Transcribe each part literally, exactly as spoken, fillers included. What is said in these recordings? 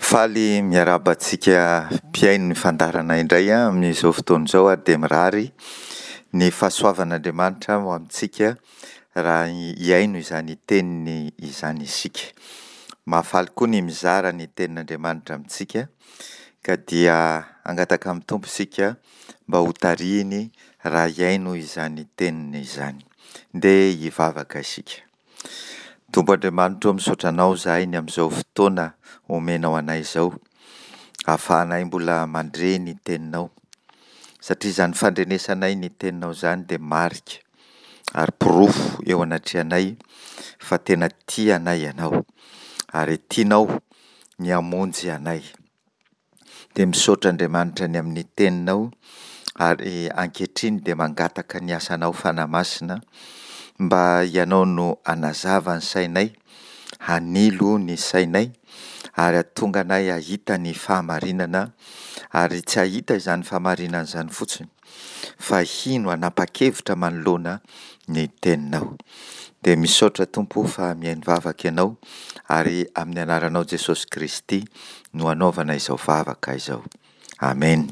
Faly miarahaba antsika mpihaino ny fandaharana indray aho amin'izao fotoana izao ary dia mirary ny fahasoavan'Andriamanitra ho amintsika raha hihaino izany teniny izany isika. Mahafaly koa ny mizara ny tenin'Andriamanitra amintsika ka dia hangataka amin'ny Tompo isika mba hotarihiny raha hihaino izany teniny izany. Ndeha hivavaka isika. Tompo Andriamanitra ô, misaotra Anao izahay ny amin'izao fotoana omenao anay izao, ahafahanay mbola mandre ny Teninao, satria izany fandrenesanay ny Teninao izany dia marika ary porofo eo anatrehanay fa tena tia anay Ianao, ary tianao ny hamonjy anay. Dia misaotra Andriamanitra ny amin'ny Teninao, ary ankehitriny dia mangataka ny asanao Fanahy Masina mba Ianao no hanazava ny sainay, hanilo ny sainay, ary hahatonga anay hahita ny fahamarinana, ary tsy hahita izany fahamarinana izany fotsiny, fa hino hanapa-kevitra manoloana ny Teninao. Dia misaotra Tompo o fa mihaino vavaka Ianao, ary amin'ny anaranao Jesosy Kristy no anaovana izao vavaka izao. Amena.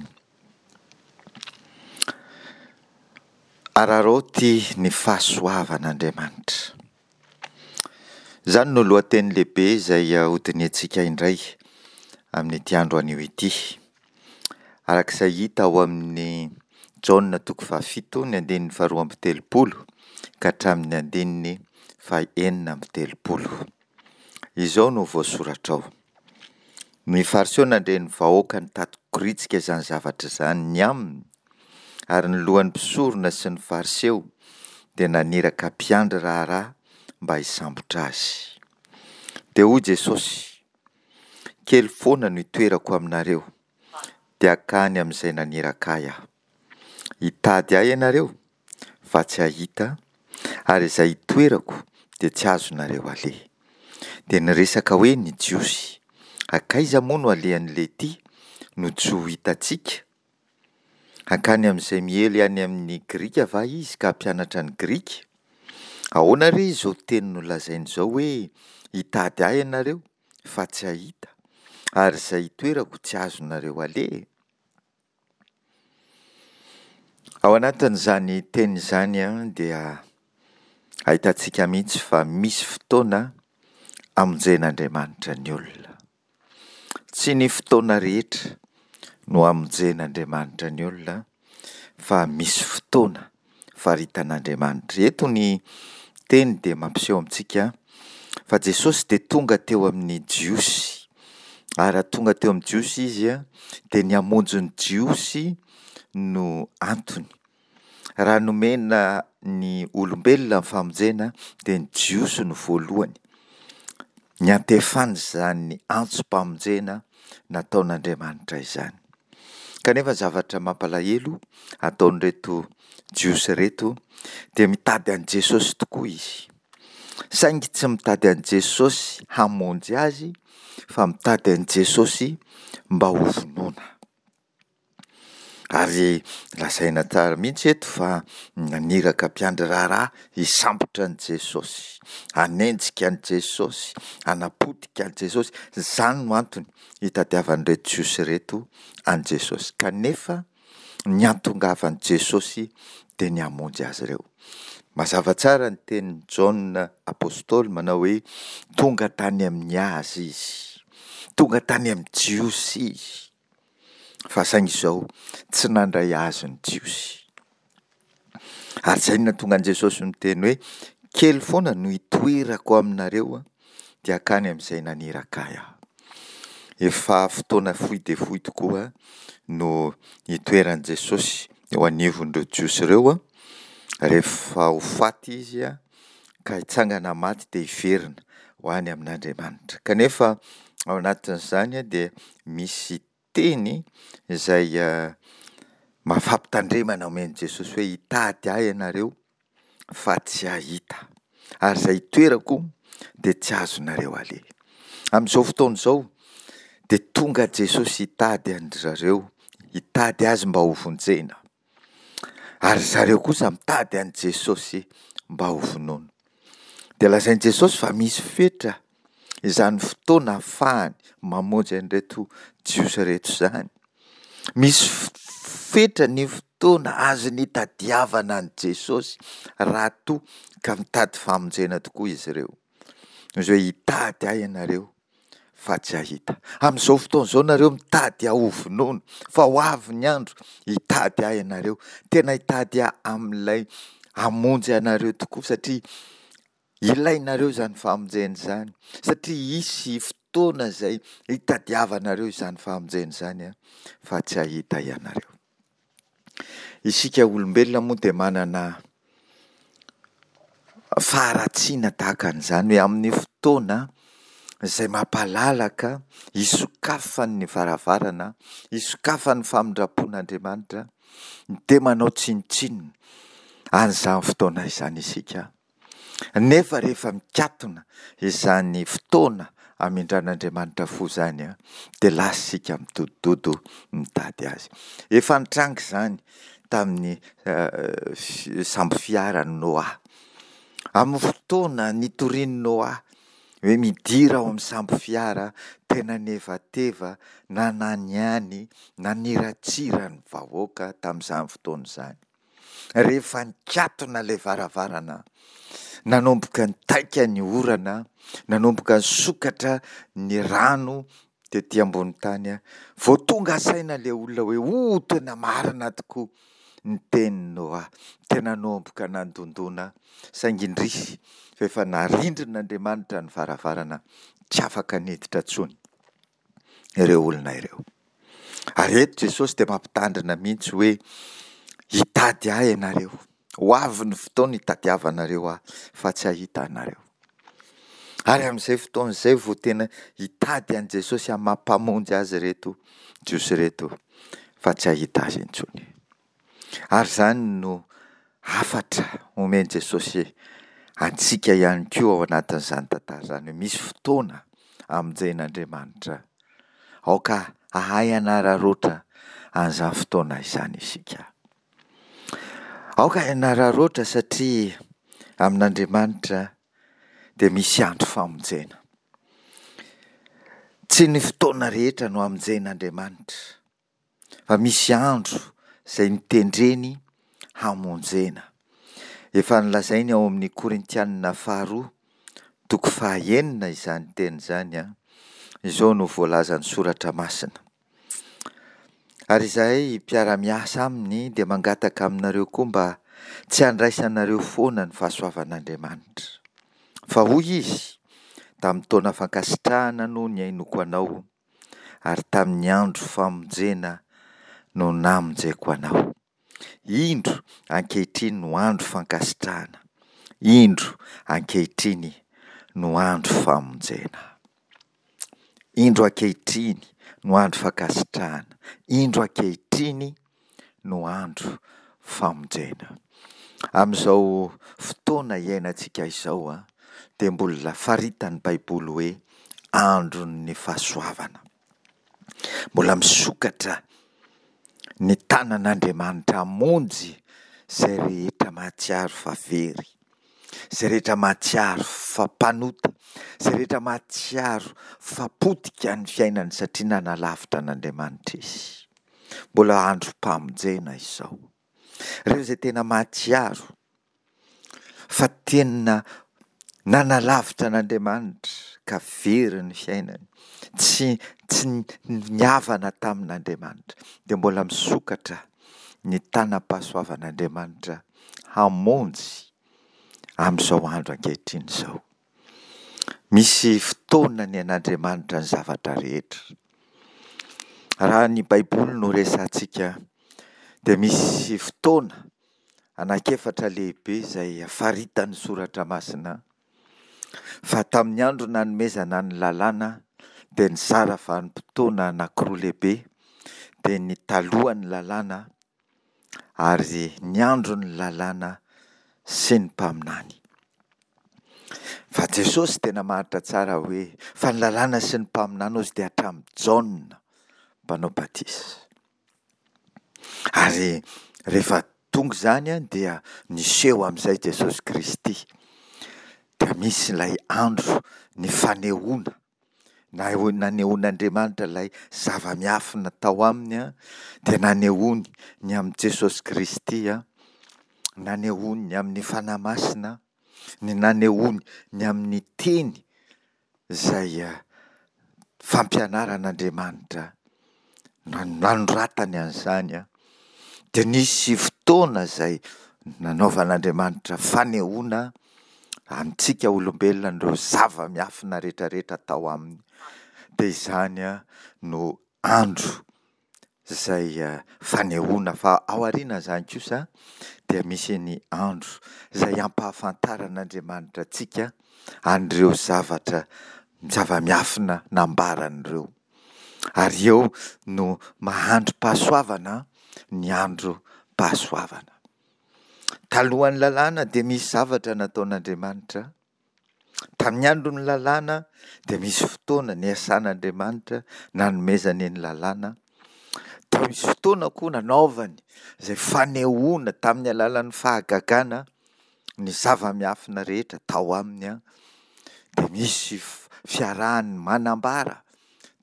Araraoty ny fahasoavan'Andriamanitra. Izany no lohateny lehibe izay hodinihantsika indray amin'ity andro anio ity. Araka izay hita ao amin'ny Jaona toko fahafito, ny andininy faharoa amby telopolo ka hatramin'ny andininy fahenina amby telopolo. Izao no voasoratra ao: Ny Fariseo nandre ny vahoaka nitati-koritsika izany zavatra izany ny aminy, ary ny lohan'ny mpisorona sy ny Fariseo dia naniraka mpiandry raharaha mba hisambotra azy. Dia hoy Jesosy, Kely foana no itoerako aminareo, dia hankany amin'izay naniraka ahy aho. Hitady ahy ianareo, fa tsy hahita, ary izay itoerako dia tsy azonareo aleha. Dia niresaka hoe ny Jiosy, Hankaiza moa no alehan'i Leity no tsy ho hitantsika? Hankany amin'izay miely any amin'ny Grika va izy ka hampianatra ny Grika? Ahoana re izao teny nolazainy izao hoe, Hitady ahy ianareo, fa tsy hahita, ary izay itoerako tsy azonareo aleha? Ao anatin'izany teny izany dia ahitantsika mihitsy fa misy fotoana hamonjen'Andriamanitra ny olona. Tsy ny fotoana rehetra no hamonjen'Andriamanitra ny olona fa misy fotoana faritan'Andriamanitra. Eto ny teny dia mampiseho amintsika fa Jesosy dia tonga teo amin'ny Jiosy. Ary raha tonga teo amin'ny Jiosy Izy dia ny hamonjy ny Jiosy no antony. Raha nomena ny olombelona ny famonjena dia ny Jiosy no voalohany niantefan'izany antsom-pamonjena nataon'Andriamanitra izany. Kanefa zavatra mampalahelo ataon'ireto Jiosy ireto dia mitady an'i Jesosy tokoa izy. Saingy tsy mitady an'i Jesosy hamonjy azy fa mitady an'i Jesosy mba hovonoina. Ary lazaina tsara mihitsy eto fa naniraka mpiandry raharaha hisambotra an'i Jesosy, hanenjika an'i Jesosy, hanapotika an'i Jesosy. Izany no antony hitadiavan'ireto Jiosy ireto an'i Jesosy. Kanefa ny hatongavan'i Jesosy dia ny hamonjy azy ireo. Mazava tsara ny tenin'i Jaona apostoly manao hoe tonga tany amin'ny azy izy, tonga tany amin'ny Jiosy izy. Fa saingy izao, tsy nandray azy ny Jiosy. Ary izay no nahatonga an'i Jesosy niteny hoe, kely foana no hitoerako aminareo, dia hankany amin'izay naniraka ahy aho. Efa fotoana fohy dia fohy tokoa no hitoeran'i Jesosy eo anivon'ireo Jiosy ireo, rehefa ho faty izy ka hitsangana maty dia hiverina ho any amin'Andriamanitra. Kanefa ao anatin'izany dia misy teny izay maha-fampitandremana omen'i Jesosy hoe hitady ahy ianareo fa tsy hahita, ary izay itoerako dia tsy azonareo aleha. Amin'izao fotoana izao dia tonga Jesosy hitady an-dry zareo, hitady azy mba hovonjena, ary zareo kosa mitady an'i Jesosy mba hovonoina. Dia lazain'i Jesosy fa misy fetra izany fotoana ahafahany mamonjy an'ireto Jiosy ireto izany. Misy fetra ny fotoana azony itadiavana an'i Jesosy raha toa ka mitady famonjena tokoa izy ireo. Izy hoe hitady ahy ianareo fa tsy hahita. Amin'izao fotoana izao nareo mitady ahy hovonoina, fa ho avy ny andro hitady ahy ianareo. Tena hitady ahy amin'ilay hamonjy anareo tokoa satria ilainareo izany famonjena izany, satria hisy fotoana izay hitadiavanareo izany famonjena izany fa tsy hahita ianareo. Isika olombelona moa dia manana faharatsiana tahaka an'izany hoe amin'ny fotoana izay mampalalaka hisokafan'ny varavarana, hisokafan'ny famindram-pon'Andriamanitra, dia manao tsinontsinona an'izany fotoana izany isika. Nefa rehefa mikatona izany fotoana hamindran'Andriamanitra fo izany, dia lasa isika midodododo mitady azy. Efa nitranga izany tamin'ny sambo fiaran'i Noa. Amin'ny fotoana nitorian'i Noa hoe midira ao amin'ny sambo fiara, tena nevateva, nananiany, naniratsira ny vahoaka tamin'izany fotoana izany. Rehefa nikatona ilay varavarana, nanomboka nitaika ny orana, nanomboka nisokatra ny rano tety ambony tany, vao tonga saina ilay olona hoe oh, tena marina tokoa ny tenin'i Noa. Tena nanomboka nandondona, saingy indrisy fa efa narindrin'Andriamanitra ny varavarana, tsy afaka niditra intsony ireo olona ireo. Ary eto Jesosy dia mampitandrina mihitsy hoe hitady ahy ianareo, ho avy ny fotoana hitadiavanareo ahy fa tsy hahita anareo. Ary amin'izay fotoana izay vao tena hitady an'i Jesosy amin'ny maha mpamonjy azy ireto Jiosy ireto fa tsy hahita azy intsony. Ary izany no hafatra omen'i Jesosy antsika ihany koa ao anatin'izany tantara izany hoe misy fotoana hamonjen'Andriamanitra. Aoka hahay hanararaotra an'izany fotoana izany isika. Aoka hanararaotra satria amin'Andriamanitra dia misy andro famonjena. Tsy ny fotoana rehetra no hamonjen'Andriamanitra, fa misy andro izay notendreny hamonjena. Efa nolazainy ao amin'ny Korintianina faharoa, toko fahaenina izany teny izany. Izao no voalazan'ny Soratra Masina. Ary izahay mpiara-miasa aminy dia mangataka aminareo koa mba tsy handraisanareo foana ny fahasoavan'Andriamanitra. Fa hoy izy, tamin'ny taona fankasitrahana no nihainoako anao, ary tamin'ny andro famonjena no namonjeko anao. Indro ankehitriny no andro fankasitrahana, indro ankehitriny no andro famonjena. Indro ankehitriny no andro fankasitrahana, indro ankehitriny no andro famonjena. Amin'izao fotoana iainantsika izao dia mbola faritan'ny Baiboly hoe andron'ny fahasoavana. Mbola misokatra ny tanan'Andriamanitra hamonjy izay rehetra mahatsiaro fa very, izay rehetra mahatsiaro fa mpanota, izay rehetra mahatsiaro fa potika ny fiainany satria nanalavitra an'Andriamanitra izy. Mbola androm-pamonjena izao. Ireo izay tena mahatsiaro fa tena nanalavitra an'Andriamanitra ka very ny fiainany, tsy, tsy nihavana tamin'Andriamanitra, dia mbola misokatra ny tanam-pahasoavan'Andriamanitra hamonjy amin'izao andro ankehitriny izao. Misy fotoana ny an'Andriamanitra ny zavatra rehetra. Raha ny Baiboly no resahantsika dia misy fotoana anankiefatra lehibe izay faritan'ny Soratra Masina fa tamin'ny andro nanomezana ny lalàna dia nizara vanim-potoana anankiroa lehibe, dia ny talohan'ny lalàna ary ny andron'ny lalàna sy ny mpaminany. Fa Jesosy dia namaritra tsara hoe fa ny lalàna sy ny mpaminany hozy dia hatramin'i Jaona mpanao batisa. Ary rehefa tonga izany dia niseho amin'izay Jesosy Kristy. dia misy ilay andro ny fanehoana, na nanehoan'Andriamanitra ilay zava-miafina tao aminy, dia nanehoany ny amin'i Jesosy Kristy, nanehoany ny amin'ny Fanahy Masina, ny nanehoany ny amin'ny teny izay fampianaran'Andriamanitra nanoratany an'izany, dia nisy fotoana izay nanaovan'Andriamanitra fanehoana amintsika olombelona an'ireo zava-miafina rehetra rehetra tao aminy. Dia izany no andro izay fanehoana, fa ao aorianan'izany kosa dia misy ny andro izay ampahafantaran'Andriamanitra antsika an'ireo zavatra zava-miafina nambarany ireo. Ary eo no maha androm-pahasoavana ny androm-pahasoavana. Talohan'ny lalàna dia misy zavatra nataon'Andriamanitra. Tamin'ny andron'ny lalàna dia misy fotoana niasan'Andriamanitra nanomezany ny lalàna. Dia misy fotoana koa nanaovany izay fanehoana tamin'ny alalan'ny fahagagana ny zava-miafina rehetra tao aminy. Dia misy fiarahany manambara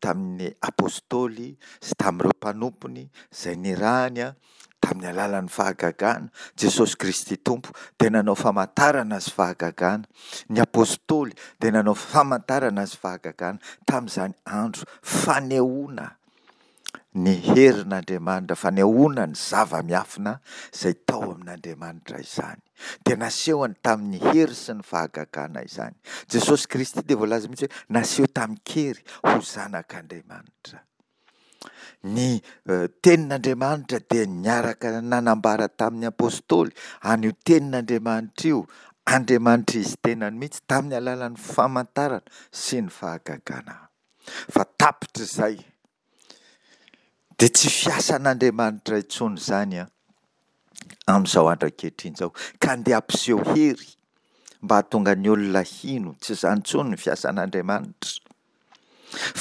tamin'ny apostoly sy tamin'ireo mpanompony izay nirahany tamin'ny alalan'ny fahagagana. Jesosy Kristy Tompo dia nanao famantarana sy fahagagana. Ny apostoly dia nanao famantarana sy fahagagana tamin'izany andro fanehoana ny herin'Andriamanitra, fanehoana ny zava-miafina izay tao amin'Andriamanitra izany. Dia nasehony tamin'ny hery sy ny fahagagana izany. Jesosy Kristy dia voalaza mihitsy hoe naseho tamin-kery ho zanak'Andriamanitra. Ny tenin'Andriamanitra dia niaraka nanambara tamin'ny apostoly an'io tenin'Andriamanitra io, Andriamanitra izy tenany mihitsy, tamin'ny alalan'ny famantarana sy ny fahagagana. Fa tapitr'izay dia tsy fiasan'Andriamanitra intsony izany an, amin'izao andro ankehitriny izao, ka andeha hampiseho hery mba hahatonga ny olona hino. Tsy izany intsony ny fiasan'Andriamanitra,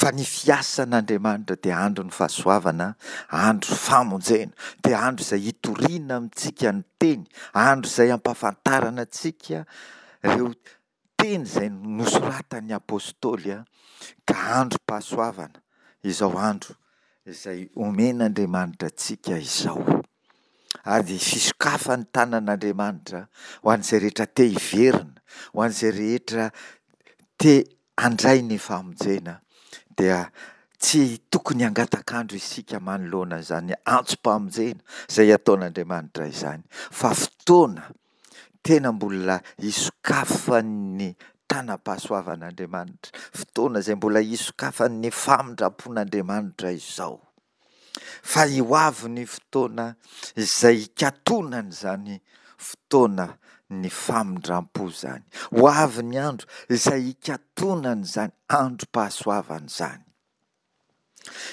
fa ny fiasan'Andriamanitra dia andron'ny fahasoavana, andro famonjena, dia andro izay hitoriana amintsika ny teny, andro izay hampahafantarana antsika ireo teny izay nosoratan'ny apostoly, ka androm-pahasoavana izao andro izay omen'Andriamanitra antsika izao. Ary fisokafan'ny tanan'Andriamanitra ho an'izay rehetra te hiverina, ho an'izay rehetra te handray ny famonjena, dia tsy tokony hangatak'andro isika manoloana izany antsom-pamonjena izay ataon'Andriamanitra izany, fa fotoana tena mbola hisokafan'ny tanam-pahasoavan'Andriamanitra, fotoana izay mbola hisokafan'ny famindram-pon'Andriamanitra izao. Fa ho avy ny fotoana izay hikatonan'izany fotoana ny famindram-po izany. Ho avy ny andro izay hikatonan'izany androm-pahasoavana izany.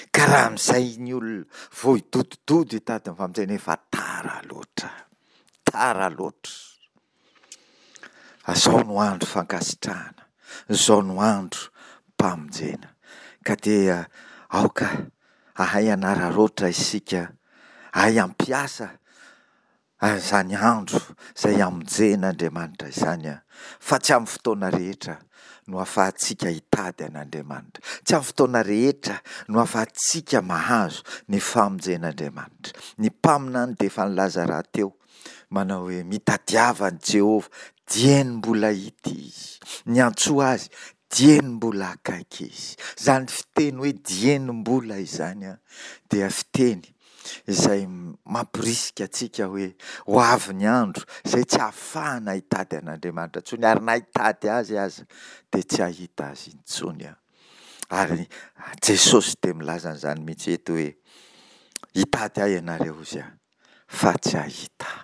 Ka raha amin'izay ny olona vao hidodododo hitady ny famonjena, efa tara loatra. Tara loatra. Izao no andro fankasitrahana, izao no andro mpamonjena. Ka dia aoka hahay hanararaotra isika, hahay hampiasa an'izany andro izay hamonjen'Andriamanitra izany, fa tsy amin'ny fotoana rehetra no ahafahantsika hitady an'Andriamanitra. Tsy amin'ny fotoana rehetra no ahafahantsika mahazo ny famonjen'Andriamanitra. Ny mpaminany dia efa nilaza rahateo manao hoe mitadiava an'i Jehovah dieny mbola hita izy, niantsoa azy dieny mbola akaiky izy. Izany fiteny hoe dieny mbola izany dia fiteny izay mamporisika antsika hoe ho avy ny andro izay tsy hahafahana hitady an'Andriamanitra intsony, ary na hitady azy aza dia tsy hahita azy intsony. Ary Jesosy dia milaza an'izany mihitsy eto hoe hitady ahy ianareo hozy aho fa tsy hahita.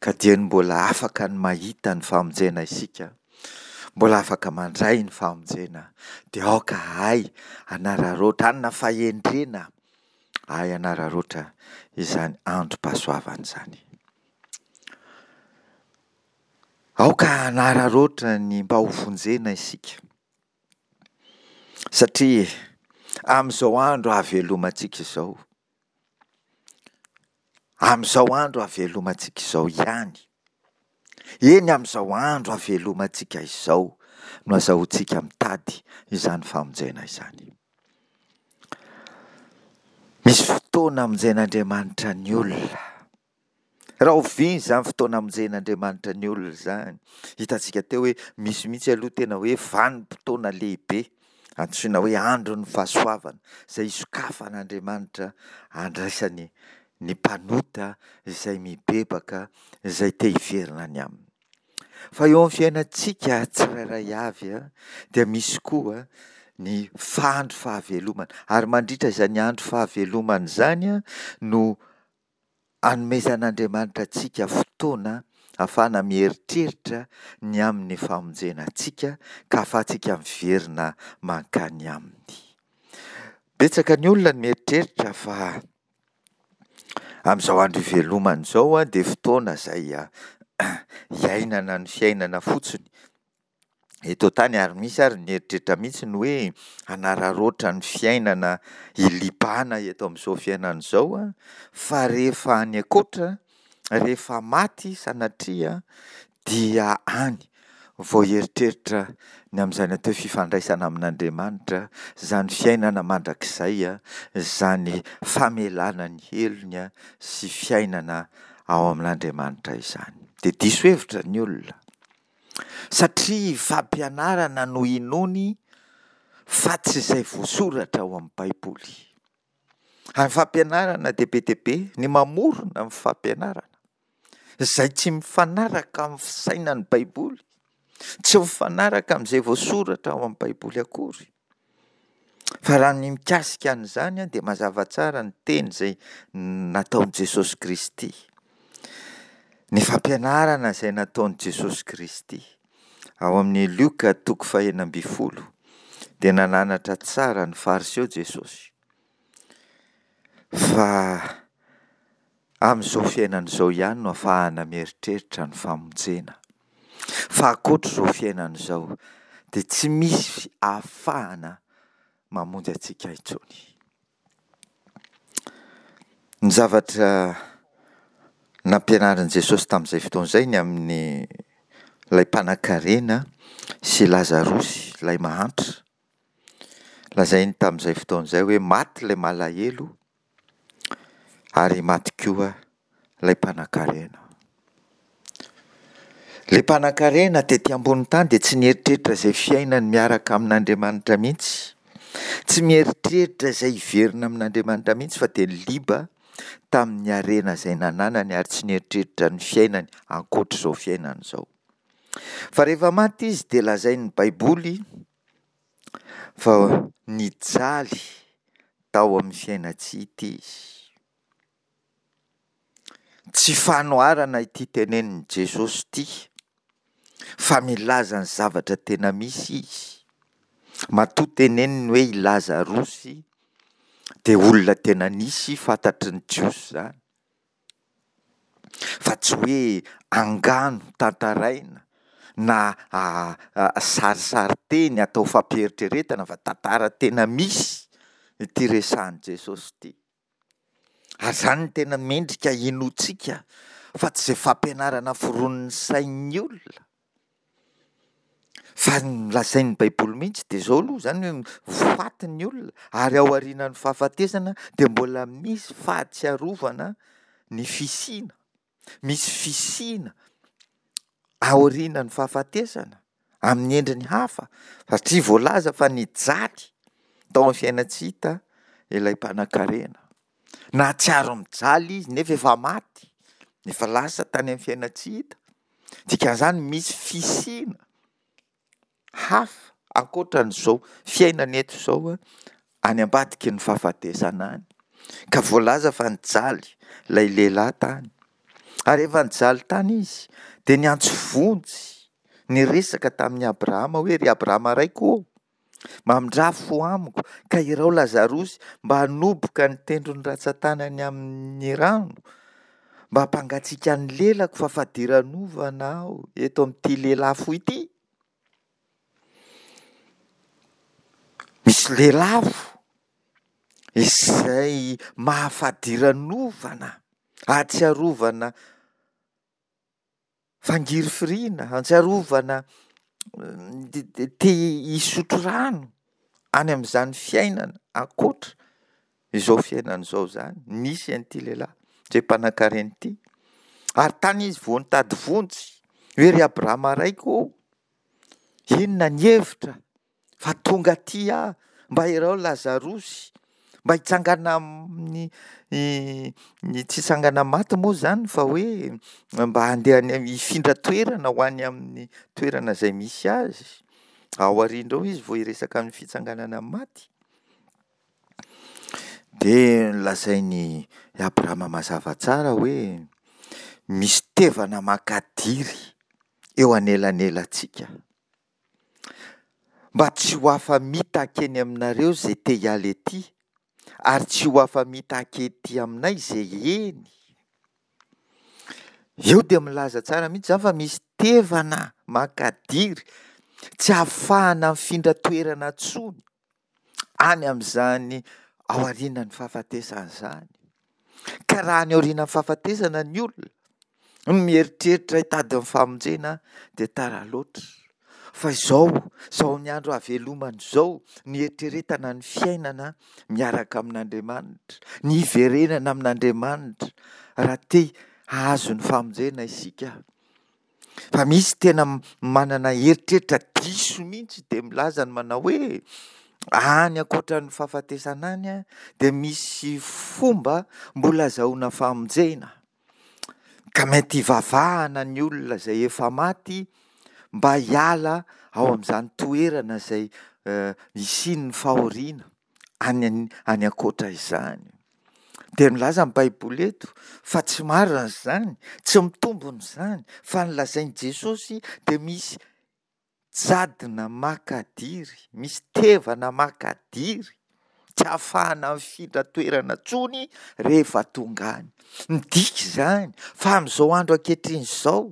Ka dieny mbola afaka ny mahita ny famonjena isika, mbola afaka mandray ny famonjena, dia aoka hahay hanararaotra, hanana fahendrena hahay hanararaotra izany androm-pahasoavana izany. Aoka hanararaotra ny mba ho vonjena isika, satria amin'izao andro ahavelomantsika izao, amin'izao andro ahavelomantsika izao ihany Eny, amin'izao andro havelomantsika izao no azahoantsika mitady izany famonjena izany. Misy fotoana hamonjen'Andriamanitra ny olona. Rahoviana izany fotoana hamonjen'Andriamanitra ny olona izany? Hitantsika teo hoe misy mihitsy aloha tena hoe vanim-potoana lehibe antsoina hoe andron'ny fahasoavana izay isokafan'Andriamanitra handraisany ny mpanota izay mibebaka, izay te hiverina any aminy. Fa eo amin'ny fiainantsika tsirairay avy dia misy koa ny andro fahavelomana, ary mandritra izany andro fahavelomana izany no anomezan'Andriamanitra antsika fotoana ahafahana mieritreritra ny amin'ny famonjena antsika ka ahafahantsika miverina mankany aminy. Betsaka ny olona no mieritreritra fa amin'izao andro ivelomana izao dia fotoana izay iainana ny fiainana fotsiny eto an-tany, ary misy ary ny mieritreritra mihitsy ny hoe hanararaotra ny fiainana hilibana eto amin'izao fiainana izao, fa rehefa any ankoatra, rehefa maty sanatria dia any vao hieritreritra ny amin'izany atao hoe fifandraisana amin'Andriamanitra, izany fiainana mandrakizay, izany famelana ny helony sy fiainana ao amin'Andriamanitra izany. Dia diso hevitra ny olona satria fampianarana no inoany fa tsy izay voasoratra ao amin'ny Baiboly. Ary ny fampianarana dia be dia be ny mamorona ny fampianarana izay tsy mifanaraka amin'ny fisainan'ny Baiboly, tsy mifanaraka amin'izay voasoratra ao amin'ny Baiboly akory. Fa raha ny mikasika an'izany dia mazava tsara ny teny izay nataon'i Jesosy Kristy. Ny fampianarana izay nataon'i Jesosy Kristy ao amin'ny Lioka toko fahenina ambin'ny folo dia nananatra tsara ny Fariseo Jesosy fa amin'izao fiainana izao ihany no ahafahana mieritreritra ny famonjena. Fa ankoatr'izao fiainana izao dia tsy misy ahafahana mamonjy antsika intsony. Ny zavatra nampianarin'i Jesosy tamin'izay fotoana izay ny amin'ny ilay mpanankarena sy Lazarosy ilay mahantra. Lazainy tamin'izay fotoana izay hoe maty ilay malahelo ary maty koa ilay mpanankarena. Ilay mpanankarena tety ambony tany dia tsy nieritreritra izay fiainany miaraka amin'Andriamanitra mihitsy. Tsy mieritreritra izay hiverina amin'Andriamanitra mihitsy fa dia niliba tamin'ny harena izay nananany ary tsy nieritreritra ny fiainany ankoatr'izao fiainana izao. Fa rehefa maty izy dia lazain'ny Baiboly fa nijaly tao amin'ny fiainan-tsy hita izy. Tsy fanoharana ity tenenin'i Jesosy ity fa milaza ny zavatra tena misy izy. Matoa teneniny hoe i Lazarosy dia olona tena nisy fantatry ny Jiosy izany. Fa tsy hoe angano tantaraina na sarisarin-teny atao fampieritreretana fa tantara tena misy ity resahan'i Jesosy ity. Ary izany no tena mendrika hinoantsika fa tsy izay fampianarana foronin'ny sain'ny olona. Fa ny lazain'ny Baiboly mihitsy dia izao aloha izany hoe faty ny olona ary ao aorianan'ny fahafatesana dia mbola misy fahatsiarovana ny fisiana. Misy fisiana aorianan'ny fahafatesana amin'ny endriny hafa satria voalaza fa nijaly tao amin'ny fiainan-tsy hita ilay mpanankarena. Nahatsiaro mijaly izy nefa efa maty, efa lasa tany amin'ny fiainan-tsy hita. Dikan'izany misy fisiana hafa ankoatran'izao fiainana eto izao any ambadiky ny fahafatesana any. Ka voalaza fa nijaly ilay lehilahy tany. Ary rehefa nijaly tany izy dia niantso vonjy, niresaka tamin'i Abrahama hoe ry Abrahama raiko ô, mamindrà fo amiko ka irao Lazarosy mba hanoboka ny tendron'ny rantsan-tanany amin'ny rano mba hampangatsiaka ny lelako fa fadiranovana aho eto amin'ity lelafo ity. Misy lelafo izay mahafadiranovana, ahatsiarovana fangirifiriana, ahatsiarovana te hisotro rano any amin'izany fiainana ankoatra izao fiainana izao izany, nisy an'ity lehilahy izay mpanankarena ity. Ary tany izy vao nitady vonjy, hoe ry Abrahama raiko ô, inona ny hevitra fa tonga aty aho, mba iraho Lazarosy, mba hitsangana amin'ny ny tsy hitsangana amin'ny maty moa izany fa hoe mba handeha any hifindra toerana ho any amin'ny toerana izay misy azy. Ao aoriana ao izy vao hiresaka ny fitsanganana amin'ny maty. Dia nolazain'i Abrahama mazava tsara hoe misy tevana makadiry eo anelanelantsika. Mba tsy ho afa-mitaky eny aminareo izay te hiala ety, ary tsy ho afa-mitaky ety aminay izay eny. Eo dia milaza tsara mihitsy izany fa misy tevana makadiry tsy ahafahana mifindra toerana intsony any amin'izany aorianan'ny fahafatesana izany. Ka raha any aorianan'ny fahafatesana ny olona no mieritreritra hitady ny famonjena dia tara loatra. Fa izao, izao amin'ny andro hahavelomana izao no hieritreretana ny fiainana miaraka amin'Andriamanitra, ny hiverenana amin'Andriamanitra raha te hahazo ny famonjena isika. Fa misy tena manana eritreritra diso mihitsy dia milaza ny manao hoe any ankoatran'ny fahafatesana any dia misy fomba mbola azahoana famonjena. Ka mety hivavahana ny olona izay efa maty mba hiala ao amin'izany toerana izay hisian'ny fahoriana any any ankoatra izany. Dia milaza ny Baiboly eto fa tsy marina izany, tsy mitombina izany, fa ny lazain'i Jesosy dia misy jadona makadiry, misy tevana makadiry, tsy ahafahana mifindra toerana intsony rehefa tonga any. Midika izany fa amin'izao andro ankehitriny izao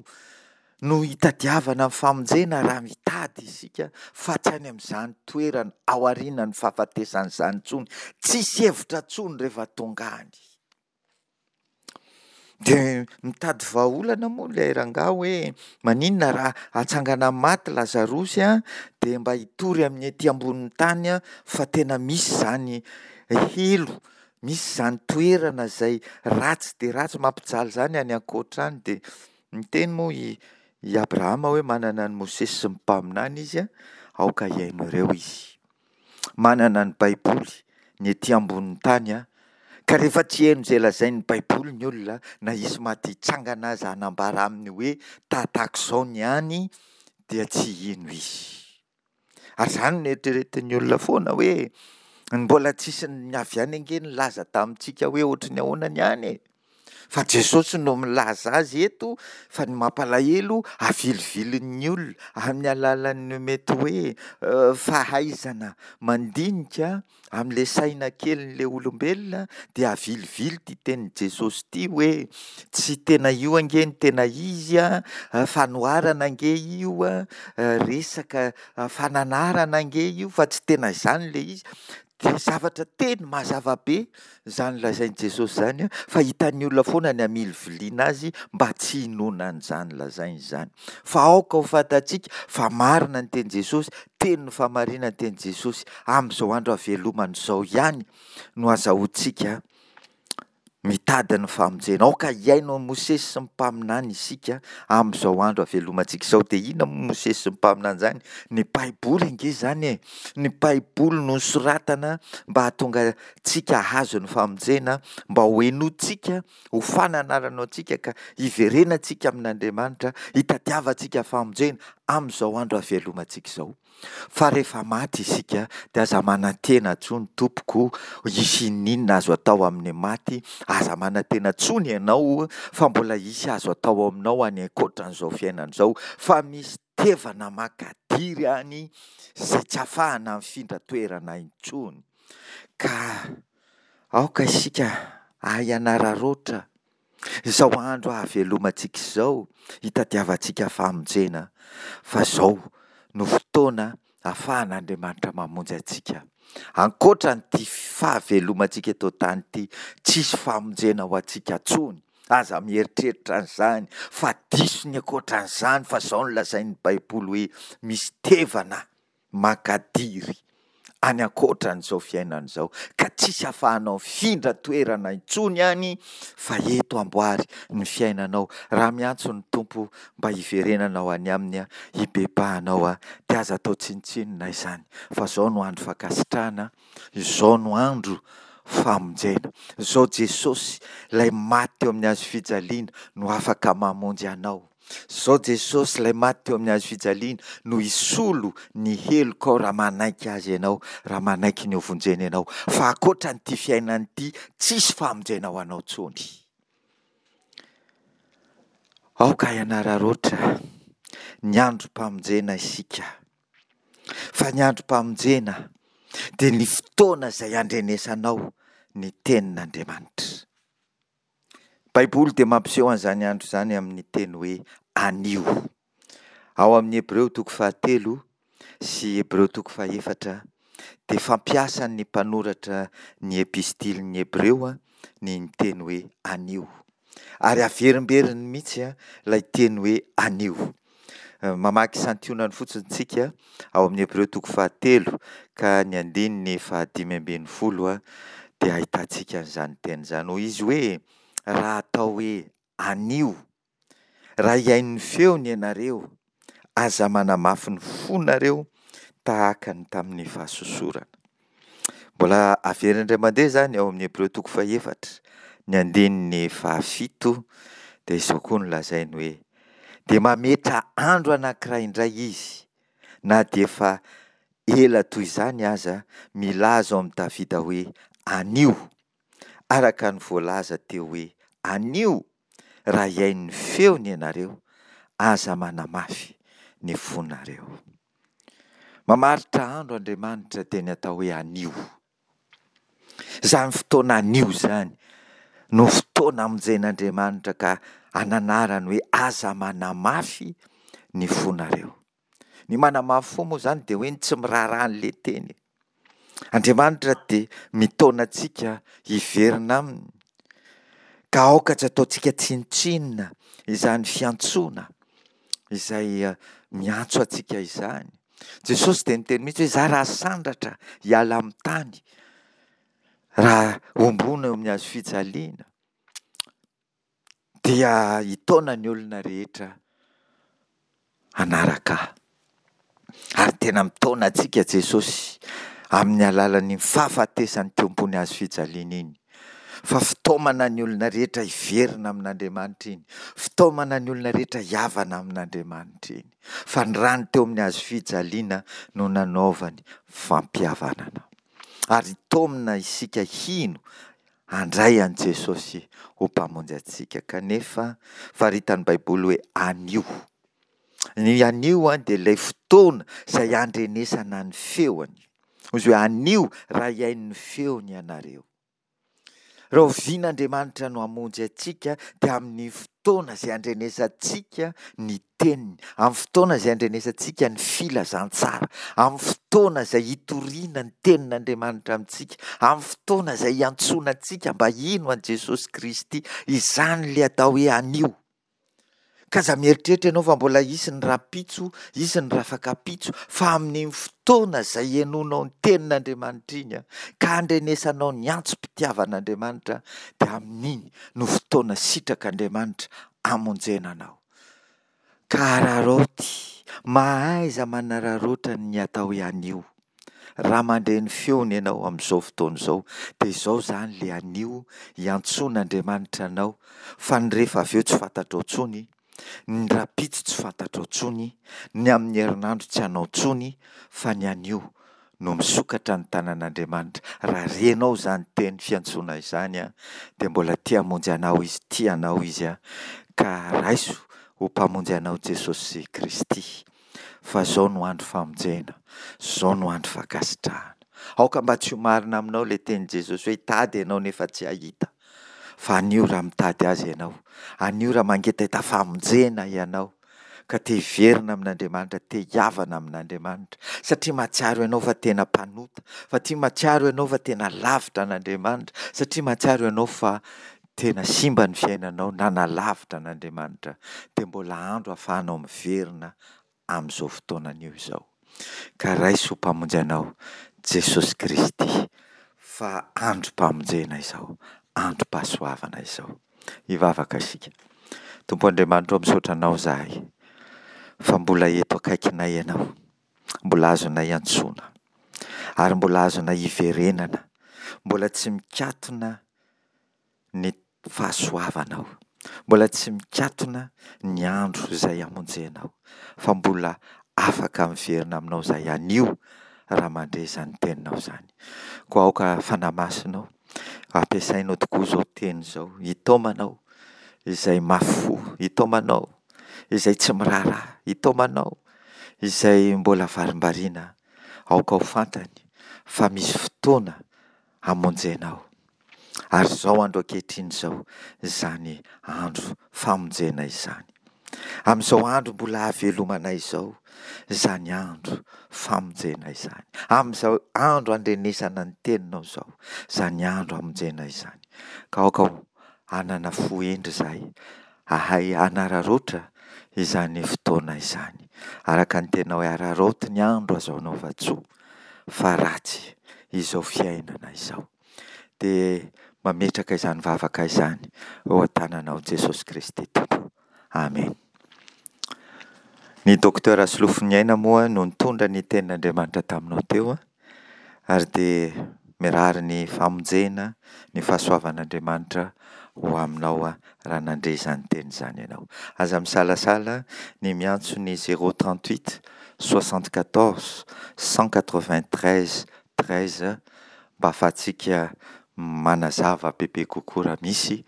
no hitadiavana ny famonjena raha mitady isika fa tsy any amin'izany toerana aorianan'ny fahafatesana izany intsony. Tsisy hevitra intsony rehefa tonga any. Dia mitady vahaolana moa ilay rangahy hoe maninona raha atsangana amin'ny maty Lazarosy an, dia mba hitory amin'ny ety ambonin'ny tany an, fa tena misy izany helo, misy izany toerana izay ratsy dia ratsy mampijaly izany any ankoatra any. Dia niteny moa i, i Abrahama hoe manana an'i Mosesy sy ny mpaminany izy an, aoka hihaino ireo izy. Manana ny Baiboly ny ety ambonin'ny tany an, ka rehefa tsy hihaino izay lazain'ny Baiboly ny olona, na hisy maty hitsangana aza hanambara aminy hoe tahatahak'izao ny any, dia tsy hino izy. Ary izany no eritreretin'ny olona foana hoe mbola tsisy ny avy any ange nilaza tamintsika hoe ohatry ny ahoana ny any e. Fa Jesosy no milaza azy eto fa ny mampalahelo avilivilin'ny olona amin'ny alalan'ny mety hoe fahaizana mandinika amin'ilay saina kelin'ilay olombelona dia avilivily ity tenin'i Jesosy ity hoe tsy tena io ange ny tena izy a, fanoharana ange io a, resaka fananarana ange io fa tsy tena izany ilay izy. Dia zavatra teny mazava be izany lazain'i Jesosy izany fa hitan'ny olona foana ny hamiliviliana azy mba tsy hinoana an'izany lazainy izany. Fa aoka ho fantatsika fa marina ny tenin'i Jesosy, tenin'ny fahamarinana ny tenin'i Jesosy. Amin'izao andro havelomana izao ihany no azahoantsika mitady ny famonjena. Aoka hihaino an'i Mosesy sy ny mpaminany isika amin'izao andro havelomantsika izao. Dia inona moa Mosesy sy ny mpaminany izany? Ny Baiboly ange izany e! Ny Baiboly no nosoratana mba hahatonga antsika hahazo ny famonjena, mba ho henointsika, ho fananarana antsika ka hiverenantsika amin'Andriamanitra, hitadiavantsika famonjena amin'izao andro havelomantsika izao. Fa rehefa maty isika dia aza manantena intsony tompoko hisy ininona azo atao amin'ny maty, aza manantena intsony ianao fa mbola hisy azo atao aminao any ankoatran'izao fiainana izao, fa misy tevana makadiry any izay tsy ahafahana mifindra toerana intsony. Ka aoka isika hahay hanararaotra izao andro hahavelomantsika izao, hitadiavantsika famonjena, fa izao no fotoana ahafahan'Andriamanitra mamonjy antsika. Ankoatra an'ity fahavelomantsika eto an-tany ity, tsisy famonjena ho antsika intsony Aza mieritreritra an'izany fa diso ny ankoatran'izany fa izao no lazain'ny Baiboly hoe misy tevana makadiry any ankoatran'izao fiainana izao ka tsisy ahafahanao mifindra toerana intsony any fa eto amboary ny fiainanao. Raha miantso ny Tompo mba hiverenanao any Aminy, hibebahanao, dia aza atao tsinontsinona izany fa izao no andro fankasitrahana, izao no andro famonjena. Izao Jesosy, ilay maty teo amin'ny hazo fijaliana no afaka mamonjy anao. Izao Jesosy, ilay maty teo amin'ny hazo fijaliana no hisolo ny helokao raha manaiky Azy ianao, raha manaiky ny hovonjena ianao. Fa ankoatra an'ity fiainana ity, tsisy famonjena ho anao intsony. Aoka hianararaotra ny androm-pamonjena isika. Fa ny androm-pamonjena dia ny fotoana izay handrenesanao ny tenin'Andriamanitra. Baiboly dia mampiseho an'izany andro izany amin'ny teny hoe anio. Ao amin'ny Hebreo toko fahatelo sy Hebreo toko fahefatra dia fampiasan'ny mpanoratra ny epistilin'ny Hebreo ny teny hoe anio. Ary averimberiny mihitsy ilay teny hoe anio. Mamaky santionany fotsiny tsika ao amin'ny Hebreo toko fahatelo ka ny andininy fahadimy ambin'ny folo dia ahitantsika an'izany teny izany. Hoy izy hoe raha atao hoe anio, raha hihaino ny feony ianareo, aza manamafy ny fonareo tahaka ny tamin'ny fahasosorana. Mbola averina indray mandeha izany ao amin'ny Hebreo toko fahefatra, ny andininy fahafito, dia izao koa no lazainy hoe dia mametra andro anankiray indray izy, na dia efa ela toy izany aza, milaza ao amin'i Davida hoe anio, araka ny voalaza teo hoe anio, raha hihaino ny feony ianareo, aza manamafy ny fonareo. Mamaritra andro Andriamanitra dia ny atao hoe anio. Izany fotoana anio izany no fotoana hamonjen'Andriamanitra ka ananarany hoe aza manamafy ny fonareo. Ny manamafy fo moa izany dia hoe ny tsy miraharaha an'ilay teny. Andriamanitra dia mitaona antsika hiverina aminy ka aoka tsy ataontsika tsinontsinona izany fiantsoana izay miantso antsika izany. Jesosy dia niteny mihitsy hoe izaho raha sandratra hiala amin'ny tany, raha homboana eo amin'ny hazo fijaliana, dia hitaona ny olona rehetra hanaraka ahy. Ary tena mitaona antsika Jesosy amin'ny alalan'ny fahafatesany teo ambony hazo fijaliana iny. Fa fitaomana ny olona rehetra hiverina amin'Andriamanitra iny. Fitaomana ny olona rehetra hihavana amin'Andriamanitra iny. Fa ny rany teo amin'ny hazo fijaliana no nanaovany fampihavanana. Ary taomina isika hino handray an'i Jesosy ho Mpamonjy antsika. Kanefa faritan'ny Baiboly hoe anio. Ny anio dia ilay fotoana izay handrenesana ny feony. Hoy izy hoe anio raha hihaino ny feony ianareo. Rahoviana Andriamanitra no hamonjy antsika dia amin'ny fotoana izay handrenesantsika ny teniny, amin'ny fotoana izay handrenesantsika ny filazantsara, amin'ny fotoana izay hitoriana ny tenin'Andriamanitra amintsika, amin'ny fotoana izay hiantsoana antsika mba hino an'i Jesosy Kristy. Izany ilay atao hoe anio. Ka aza mieritreritra ianao fa mbola hisy ny rahampitso, hisy ny rafakapitso, fa amin'iny fotoana izay henoinao ny tenin'Andriamanitra iny, ka handrenesanao ny antsom-pitiavan'Andriamanitra, dia amin'iny no fotoana sitrak'Andriamanitra hamonjena anao. Ka araraoty, mahaiza manararaotra ny atao hoe anio. Raha mandre ny feony ianao amin'izao fotoana izao, dia izao izany ilay anio hiantsoan'Andriamanitra anao, fa ny rehefa avy eo tsy fantatrao intsony, ny rahampitso tsy fantatrao intsony, ny amin'ny herinandro tsy anao intsony, fa ny anio no misokatra ny tanan'Andriamanitra. Raha renao izany teny fiantsoana izany, dia mbola te hamonjy anao Izy, tia anao Izy, ka raiso ho Mpamonjy anao Jesosy Kristy, fa izao no andro famonjena, izao no andro fankasitrahana. Aoka mba tsy ho marina aminao ilay tenin'i Jesosy hoe hitady ianao nefa tsy hahita. Fa anio raha mitady Azy ianao, anio raha mangetaheta famonjena ianao, ka te hiverina amin'Andriamanitra, te hihavana amin'Andriamanitra, satria mahatsiaro ianao fa tena mpanota, fa tia mahatsiaro ianao fa tena lavitra an'Andriamanitra, satria mahatsiaro ianao fa tena simba ny fiainanao, nanalavitra an'Andriamanitra, dia mbola andro ahafahanao miverina amin'izao fotoana anio izao. Ka raiso ho Mpamonjy anao Jesosy Kristy fa androm-pamonjena izao, androm-pahasoavana izao. Hivavaka isika. Tompo Andriamanitra ô, misaotra Anao izahay fa mbola eto akaikinay Ianao, mbola azonay antsoina ary mbola azonay iverenana, mbola tsy mikatona ny fahasoavanao, mbola tsy mikatona ny andro izay hamonjenao fa mbola afaka miverina aminao izahay anio raha mandre izany teninao izany. Koa aoka Fanahy Masina ô, ampiasainao tokoa izao teny izao hitaomanao izay mafy fo, hitaomanao izay tsy miraharaha, hitaomanao izay mbola varimbariana. Aoka ho fantany fa misy fotoana hamonjenao. Ary izao andro ankehitriny izao izany andro famonjena izany. Amin'izao andro mbola hahavelomanay izao izany andro famonjena izany. Amin'izao andro andrenesana ny teninao izao izany andro hamonjena izany. Ka aoka hanana fo hendry izahay, hahay hanararaotra izany fotoana izany. Araka ny teninao hoe araraoty ny andro azo anaovan-tsoa fa ratsy izao fiainana izao. Dia mametraka izany vavaka izany eo an-tananao Jesosy Kristy Tompo. Amen. Ny Docteur Rasolofoniaina moa no nitondra ny tenin'Andriamanitra taminao teo ary dia mirary ny famonjena, ny fahasoavan'Andriamanitra ho aminao raha nandre izany teny izany ianao. Aza misalasala ny miantso ny zéro trente huit soixante quatorze cent quatre vingt treize treize mba ahafahantsika manazava bebe kokoa raha misy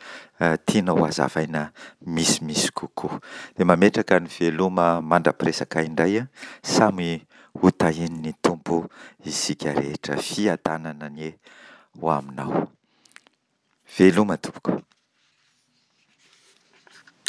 tianao ho hazavaina misimisy kokoa. Dia mametraka ny veloma mandra-piresaka indray, samy ho tahian'ny Tompo isika rehetra. Fiadanana anie ho aminao. Veloma tompoko.